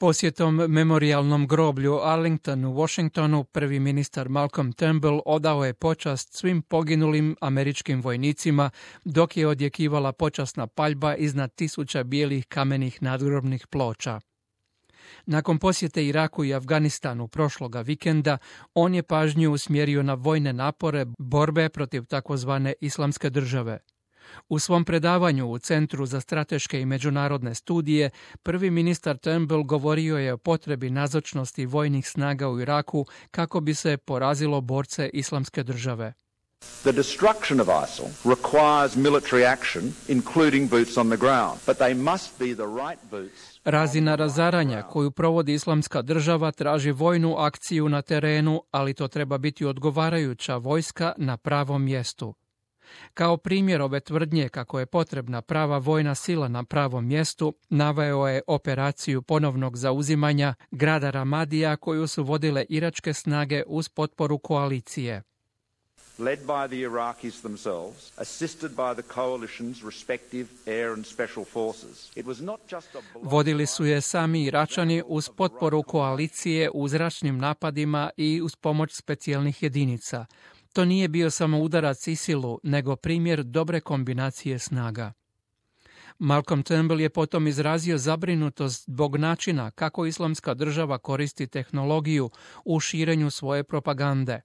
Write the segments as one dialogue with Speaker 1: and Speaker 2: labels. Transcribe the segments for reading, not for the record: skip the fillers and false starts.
Speaker 1: Posjetom memorijalnom groblju Arlington u Washingtonu prvi ministar Malcolm Turnbull odao je počast svim poginulim američkim vojnicima dok je odjekivala počasna paljba iznad tisuća bijelih kamenih nadgrobnih ploča. Nakon posjete Iraku i Afganistanu prošloga vikenda, on je pažnju usmjerio na vojne napore borbe protiv takozvane islamske države. U svom predavanju u Centru za strateške i međunarodne studije, prvi ministar Turnbull govorio je o potrebi nazočnosti vojnih snaga u Iraku kako bi se porazilo borce islamske države.
Speaker 2: The destruction of ISIL requires military action, including boots on the ground, but they must be the right boots.
Speaker 1: Razina razaranja koju provodi islamska država traži vojnu akciju na terenu, ali to treba biti odgovarajuća vojska na pravom mjestu. Kao primjer ove tvrdnje kako je potrebna prava vojna sila na pravom mjestu, naveo je operaciju ponovnog zauzimanja grada Ramadija koju su vodile iračke snage uz potporu koalicije.
Speaker 2: Led by the Iraqis themselves, assisted by the coalition's respective air and special forces. It was not just a
Speaker 1: Vodili su je sami Iračani uz potporu koalicije u zračnim napadima i uz pomoć specijalnih jedinica. To nije bio samo udarac ISIL-u, nego primjer dobre kombinacije snaga. Malcolm Turnbull je potom izrazio zabrinutost zbog načina kako islamska država koristi tehnologiju u širenju svoje propagande.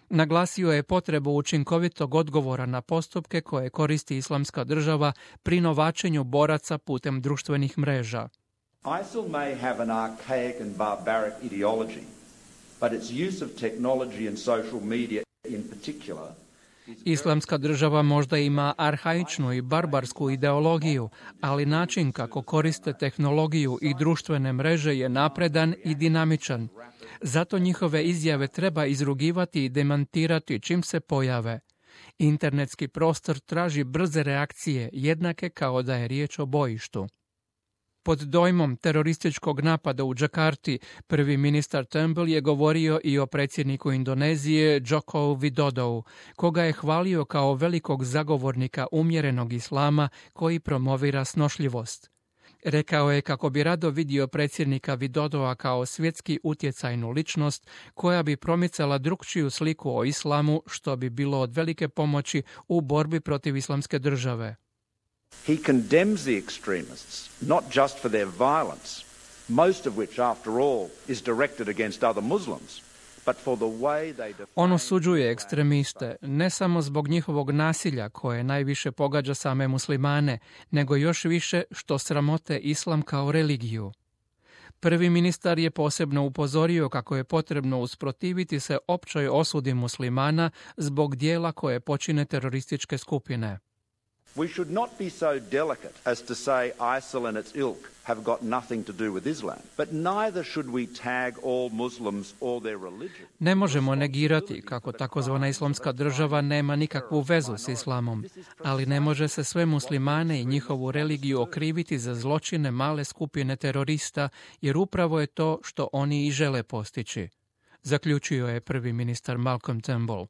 Speaker 1: Naglasio je potrebu učinkovitog odgovora na postupke koje koristi islamska država pri novačenju boraca putem društvenih mreža.
Speaker 2: ISIL may have an archaic and barbaric ideology, but its use of technology and social media in particular.
Speaker 1: Islamska država možda ima arhaičnu i barbarsku ideologiju, ali način kako koriste tehnologiju i društvene mreže je napredan i dinamičan. Zato njihove izjave treba izrugivati i demantirati čim se pojave. Internetski prostor traži brze reakcije, jednake kao da je riječ o bojištu. Pod dojmom terorističkog napada u Džakarti, prvi ministar Turnbull je govorio i o predsjedniku Indonezije Joko Widodou, koga je hvalio kao velikog zagovornika umjerenog islama koji promovira snošljivost. Rekao je kako bi rado vidio predsjednika Widodoa kao svjetski utjecajnu ličnost koja bi promicala drukčiju sliku o islamu, što bi bilo od velike pomoći u borbi protiv islamske države.
Speaker 2: He condemns the extremists not just for their violence, most of which after all is directed against other Muslims, but for the way they define.
Speaker 1: On osuđuje ekstremiste ne samo zbog njihovog nasilja koje najviše pogađa same muslimane, nego još više što sramote islam kao religiju. Prvi ministar je posebno upozorio kako je potrebno usprotiviti se općoj osudi muslimana zbog dijela koje počine terorističke skupine.
Speaker 2: We should not be so delicate as to say ISIL and its ilk have got nothing to do with Islam, but neither should we tag all Muslims or their religion.
Speaker 1: Ne možemo negirati kako takozvana islamska država nema nikakvu vezu s islamom, ali ne može se sve muslimane i njihovu religiju okriviti za zločine male skupine terorista, jer upravo je to što oni i žele postići, zaključio je prvi ministar Malcolm Turnbull.